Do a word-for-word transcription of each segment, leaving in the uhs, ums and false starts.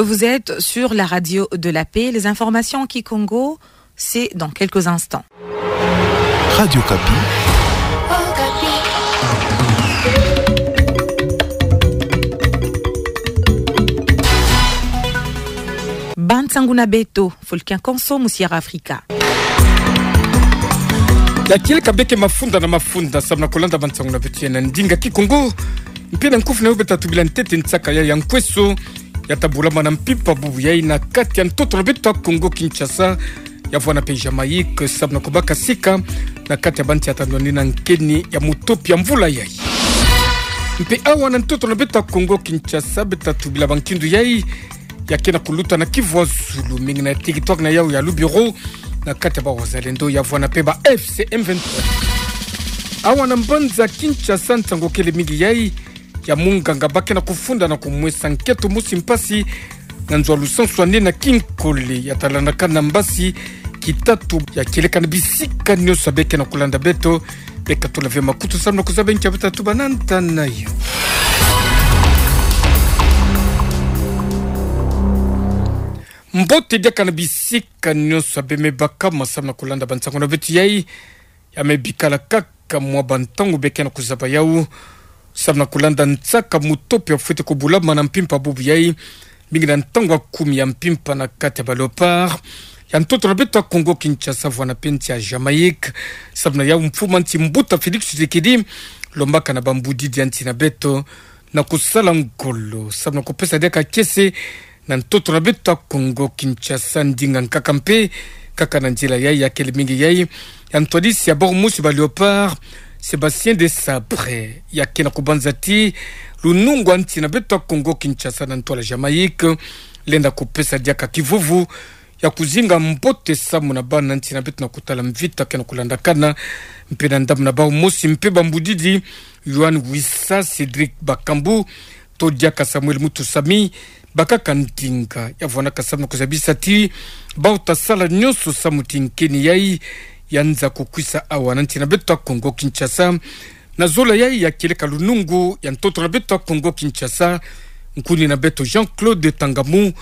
Vous êtes sur la radio de la paix. Les informations en kikongo, c'est dans quelques instants. Radio Okapi. Ba nsangu na beto, Fulkin Konso mu Sierra Africa. Ya kieleka beke mafunda na mafunda, samu na kulanda ba nsangu na beto ya na ndinga kikongo. Mpe na nkufi na yo beta tubila ntete nsaka ya ya nkweso, ya ta bulama na mpimpa bubu yayi na kati ya ntoto na beto ya Kongo Kinshasa, ya vwana mpe Jamaïque, samu na kubaka sika na kati ya ba nti ya ta ndwani na nkeni ya mutopi ya mvula yayi. Mpe awa na ntoto na beto ya Kongo Kinshasa, beta tubila ba nkindu yayi ya ke na kuluta na Kivu ya zulu, mingi na territoire na yau ya Lubero, na kati ya ba wazalendo, ya vwana mpe ba F C M vingt-trois. Awa na mbanza Kinshasa, nsangu kele mingi yayi ya munganga ba ke na kufunda na kumwesa nketo mosi mpasi na nzo ya lusansu ane na kinkole, ya ta landaka na mbasi kitatu. Ya kieleka na bisika nyonso ya be ke na kulanda beto, beka tula ve makutu samu na kuzaba nki ya beta tubana nta na yo. Mbote diaka na bisika nyonso ya be me baka ma samu na kulanda ba nsangu na beto yayi. Ya me bikala kaka mwa ba ntangu be ke na kuzaba yau samu na kulanda nsaka mutopi ya fwete kubulama na mpimpa bubu yayi, mingi na ntangu ya kumi ya mpimpa na kati ya ba Léopards ya ntoto na beto ya Kongo Kinshasa, vwana mpe nti ya Jamaïque, samu na yau mfumu ya nsi mbuta Félix Tshisekedi lombaka na ba mbudidi ya nsi na beto na kusala ngolo samu na kupesa diaka kiese na ntoto na beto ya Kongo Kinshasa. Ndinga nkaka mpe kaka na nzila yayi ya kele mingi yayi ya ntwadisi ya bord mosi ba Léopards, Sébastien Desabre, ya ke na kubanza ti lunungu ya nsi na beto ya Kongo Kinshasa na ntwala Jamaïque lenda kupesa diaka kivuvu ya kuzinga mbote samu na bana nsi na beto na kutala mvita ke na kulandakana. Mpe na ndambu na bau mosi mpe ba mbudidi, Yoane Wissa, Cédric Bakambu, to diaka Samuel Mutusami, bakaka ndinga ya vwanaka samu na kuzabisa ti bau ta sala nyonso samu ti nkeni yayi ya nza kukwisa awa na nsi na beto ya Kongo Kinshasa. Na zola yayi ya kieleka lunungu ya ntoto na beto ya Kongo Kinshasa, nkuni na beto Jean-Claude Tangamu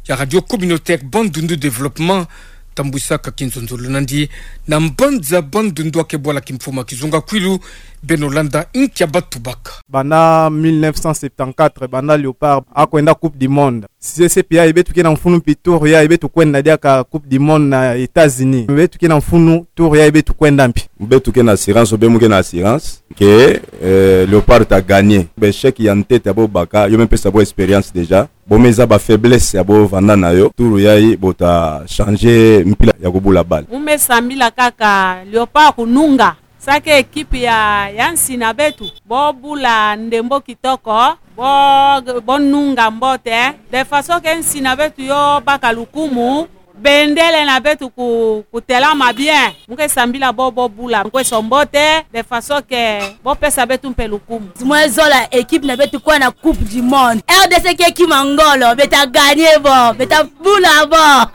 ya Radio Communautaire Bandundu Développement, tambwisaka kinzonzolo nandi na mbanza Bandundu, ake bwala kimfumu ya kizunga kwilu. Beno landa nki ya ba tubaka. Banda mille neuf cent septante-quatre, banda Léopards akwenda Coupe du Monde, C C P yayi beto ke na mfunu, mpi tour yayi beto kwenda diaka Coupe du Monde na États-Unis, beto ke na mfunu tour yayi beto kwenda mpi. Beto ke na assurance, ou bien mu ke na assurance que, euh, Léopards ta gagner. Ba échec ya ntete ya bo baka, yo me pesa bo expérience déjà. Bo me zaba ba faiblesse ya bo vanda na yo. Tour yayi bo ta changer mpila ya kubula balle. Mu me sambila kaka Léopards kununga. Sake équipe ya, ya nsi na beto, bo bula ndembo kitoko, bo, bo nunga mbote, de façon que nsi na beto yo baka lukumu, bendele na beto ku, kutelama bien. Mu ke sambila bo, bo bula nkweso mbote, de façon que bo pesa beto mpe lukumu. Mu zola équipe na beto kwenda Coupe du Monde. R D C ke kima ngolo, beta gagner bo, beta bula bo.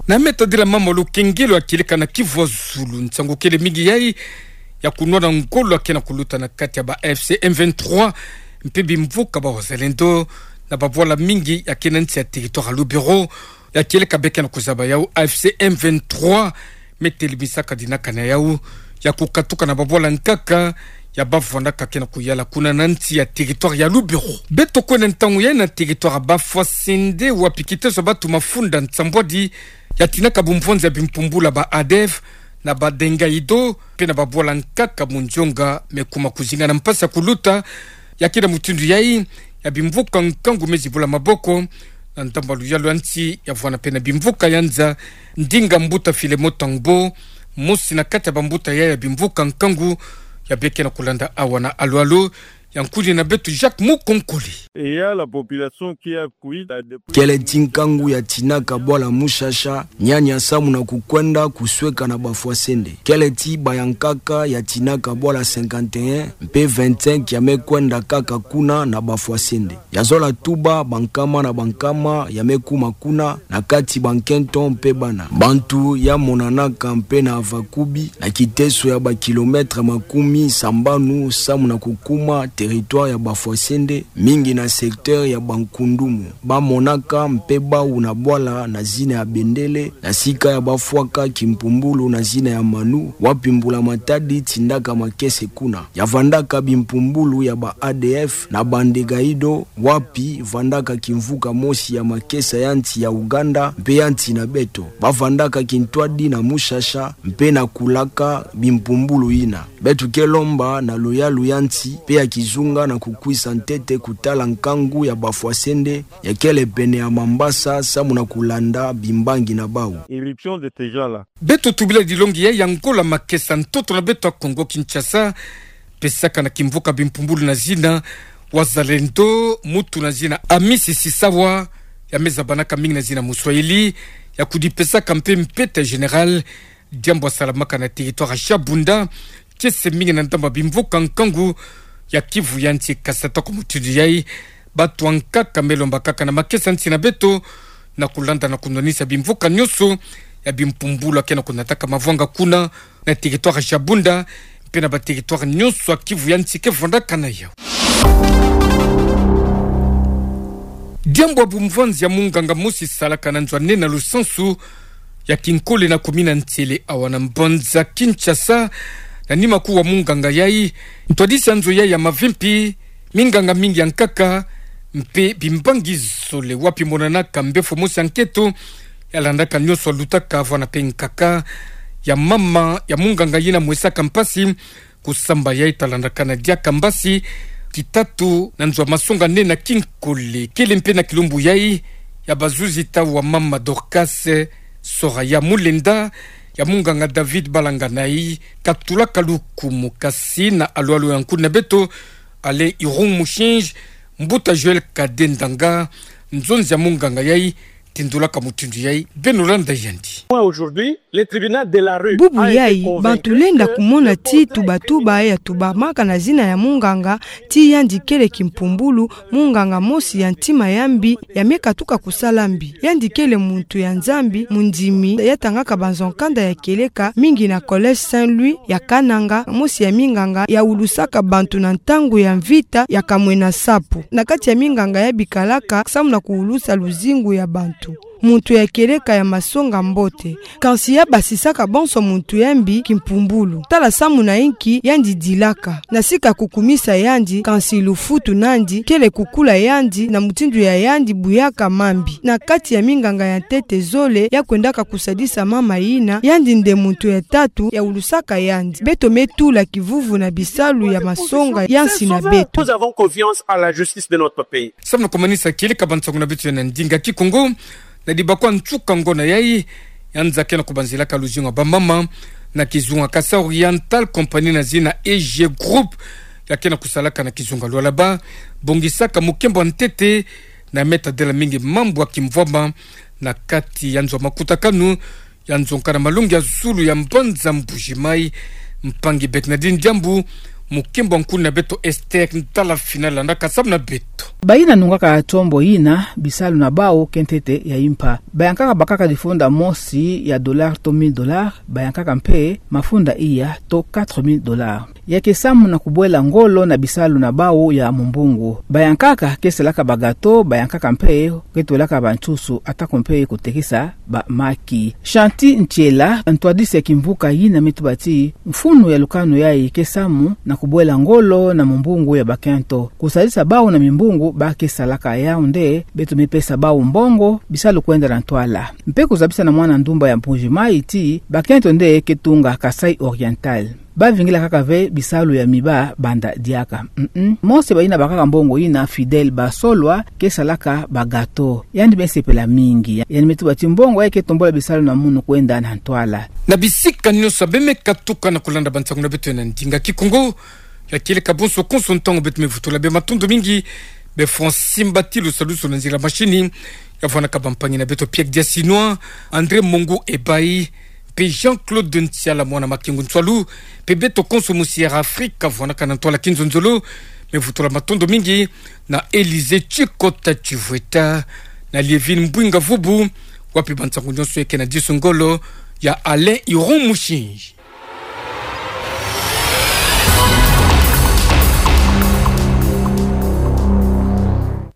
Na meta dila mama lukengelo ya kieleka na Kivu ya zulu, nsangu kele mingi yayi ya kunwana ngolo ya ke na kuluta na kati ya ba F C M vingt-trois mpe bimvuka ba wazalendo na babwala mingi ya ke na nsi ya territoire ya Lubero. Ya kieleka be ke na kuzaba yau, A F C M vingt-trois me telimisaka dinaka na yau ya kukatuka na babwala nkaka ya bavwandaka ke na kuyala kuna na nsi ya territoire ya Lubero. Beto kwenda ntangu yayi na territoire ya Bafwasende, wapi kiteso ya batu mafunda nsambwadi ya tinaka bumvwanzi ya bimpumbula ba ADF na ba Dengaido, mpe na babwala nkaka Mundionga, me kuma kuzinga na mpasi ya kuluta. Ya ke na mutindu yayi ya bimvuka nkangu me zibula maboko na ndambu ya luyalu ya nsi, ya vwana mpe na bimvuka ya nza. Ndinga mbuta Filemon Tangbo, mosi na kati ya bambuta yayi ya bimvuka nkangu, ya be ke na kulanda awa na Alo-Alo, ya nkuni na beto Jacques Mukonkole. Et il y a la population qui a fui depuis... Kele ti nkangu ya tinaka bwala Mushasha, nyanya samu na kukwenda kusweka na bafwasende. Kele ti bayankaka ya tinaka bwala cinquante et un, mpe vingt-cinq ya me kwenda kaka kuna na bafwasende. Ya zola tuba bankama na bankama ya me kuma kuna, na kati bankento mpe bana. Bantu ya monanaka mpe na Avakubi, na kiteso ya ba kilomètres makumi sambanu samu na kukuma territoire ya bafwasende, mingi na secteur ya Bankundumu. Ba monaka mpe bawu na bwala na zina ya Bendele, na sika ya bafwaka kimpumbulu na zina ya Manu, wapi mbulamatadi tindaka makese kuna. Ya vandaka bimpumbulu ya ba A D F na Bandegaido, wapi vandaka kimvuka mosi ya makesa ya nsi ya Uganda mpe ya nsi na beto. Ba vandaka kintwadi na Mushasha mpe na kulaka bimpumbulu yina. Beto ke lomba na luyalu ya nsi mpe ya kizunga na kukwisa ntete kutala nkangu ya bafwasende ya kele pene ya Mambasa samu na kulanda bimbangi na bawu. Irruption de ces gens-là. Beto tubila dilongi ya ya ngola makesa ntoto na beto ya Kongo Kinshasa, pesaka na kimvuka bimpumbulu na zina Wazalendo, muntu na zina Amisi Sisawa, ya me zabanaka mingi na zina Muswahili, ya kudipesaka mpe mpeta général, diambu ya salamaka na territoire ya Shabunda, kiese mingi na ndambu ya bimvuka nkangu ya Kivu ya nsi. Kasi ata kwa mutindu yayi, bantu ya nkaka me lomba kaka na makesa nsi na beto, na kulanda na kunwanisa bimvuka nyonso ya bimpumbulu ya ke na kunataka mavwanga kuna, na territoire ya Shabunda, mpe na ba territoire nyonso ya Kivu ya nsi ke vandaka na yawu. Diambu ya bumvanzi ya munganga mosi salaka na nzo ya nne na lusansu ya kinkole na commune ya Nsele awa na mbanza Kinshasa, na nima kuu ya munganga yayi, ntwadisi ya nzo yayi ya mavimpi, minganga mingi ya nkaka, mpe bimbangi zole wapi monanaka mbefo mosi ya nketo, ya landaka nyonso ya lutaka vwanda mpe nkaka ya mama ya munganga yina mwesaka mpasi kusamba yayi ta landakana diaka mbasi kitatu na nzo ya masonga nene ya kinkole. Kele mpe na kilumbu yayi ya bazuzi tata wa mama Dorcas Soraya Mulenda, ya munganga David Balanganayi katulaka lukumu. Kasi na alwalu ya nkuni na beto Alain Irung Mushinji, mbuta Joël Kadendanga, nzonzi ya munganga yayi tindulaka mutindu yayi. Beno landa yandi. Moi, aujourd'hui, le tribunal de la rue... Bubu yayi, bantu lenda kumona ti tubatuba ya tubamaka na zina ya munganga, ti yandi kele kimpumbulu, munganga mosi ya ntima ya mbi, ya me katuka kusala mbi. Yandi kele muntu ya Nzambi, mundimi, ya tangaka banzo ya nkanda ya kieleka mingi na Collège Saint-Louis ya Kananga, mosi ya minganga ya ulusaka bantu na ntangu ya mvita ya Kamwena Nsapu. Na kati ya minganga ya bikalaka samu na kuulusa luzingu ya bantu. Muntu ya kieleka ya masonga mbote. Kansi ya basisaka bonso muntu ya mbi kimpumbulu. Tala samu na inki yandi dilaka. Na sika kukumisa yandi, kansi lufutu nandi kele kukula yandi na mutindu ya yandi buyaka mambi. Na kati ya minganga ya ntete zole ya kwendaka kusadisa mama yina, yandi nde muntu ya tatu ya ulusaka yandi. Beto me tula kivuvu na bisalu ya masonga ya nsi na beto. Nous avons confiance à la justice de notre pays. Samu na kumanisa kieleka bansangu na beto ya na ndinga Kikongo, na dibakwa nsuka ngona yayi, ya nza ke na kubanzilaka luzingu ya bamama na kizunga Kasaï Oriental, compagnie na zina E G Group, ya ke na kusalaka na kizunga Lualaba, bongisaka mukembo ya ntete na me tadila mingi mambu ya kimvwama na kati ya nzo ya makutakanu ya nzo ya nkaka na malongi ya zulu ya mbanza Mbuji-Mayi. Mpangi Bernardine Diambu, mukembo ya nkuni na beto Esther Ntalafina landaka samu na beto. Bayina nungaka tombo yina, bisalu na bawu ke ntete ya impa. Bayankaka bakaka difunda mosi ya dollar to mille dollars, bayankaka mpe mafunda iya to quatre mille dollars. Ya ke samu na kubwela ngolo na bisalu na bawu ya mumbungu. Bayankaka ke salaka ba gâteaux, bayankaka mpe ke twelaka bansusu, atako mpe kutekisa bamaki. Chanty Ntiela, ntwadisi ya kimvuka yina, me tuba ti mfunu ya lukanu yayi ke samu na kubwela ngolo na mumbungu ya bakento, kusadisa bawu na mimbungu ba ke salaka. Yawu nde beto me pesa bawu mbongo, bisalu kwenda na ntwala. Mpe kuzabisa na mwana ndumba ya Mbuji-Mayi ti bakento nde ke tunga Kasaï Oriental. Ba vingila kaka ve bisalu ya miba banda diaka. Mm-mm. Mosi bayina bakaka mbongo yina, Fidèle Basolwa, ke salaka ba gâteaux. Yandi me sepela mingi. Yandi me tuba ti mbongo yayi ke tombula bisalu na munu kwenda na ntwala. Na bisika nyonso be me katuka na kulanda bansangu na beto ya na ndinga Kikongo ya kieleka, bonso konso ntangu beto me vutula bê matondo mingi. Be Francine Batilu Saluso na nzila mashini. Ya vuanaka bampangi na beto Pierre Diasinwa, André Mongo Ebayi, pe Jean-Claude Ntiala mwana Makengo Nsualu, pe beto konso mu Sierra Afrika, vuanaka na ntwala kinzonzolo. Me vutula matondo mingi na Élysée Tshikota Tshivueta, na Liévine Mbouinga Vubu, wapi bansangu nyonso eke na disu ngolo ya Alain Iron Mushinji.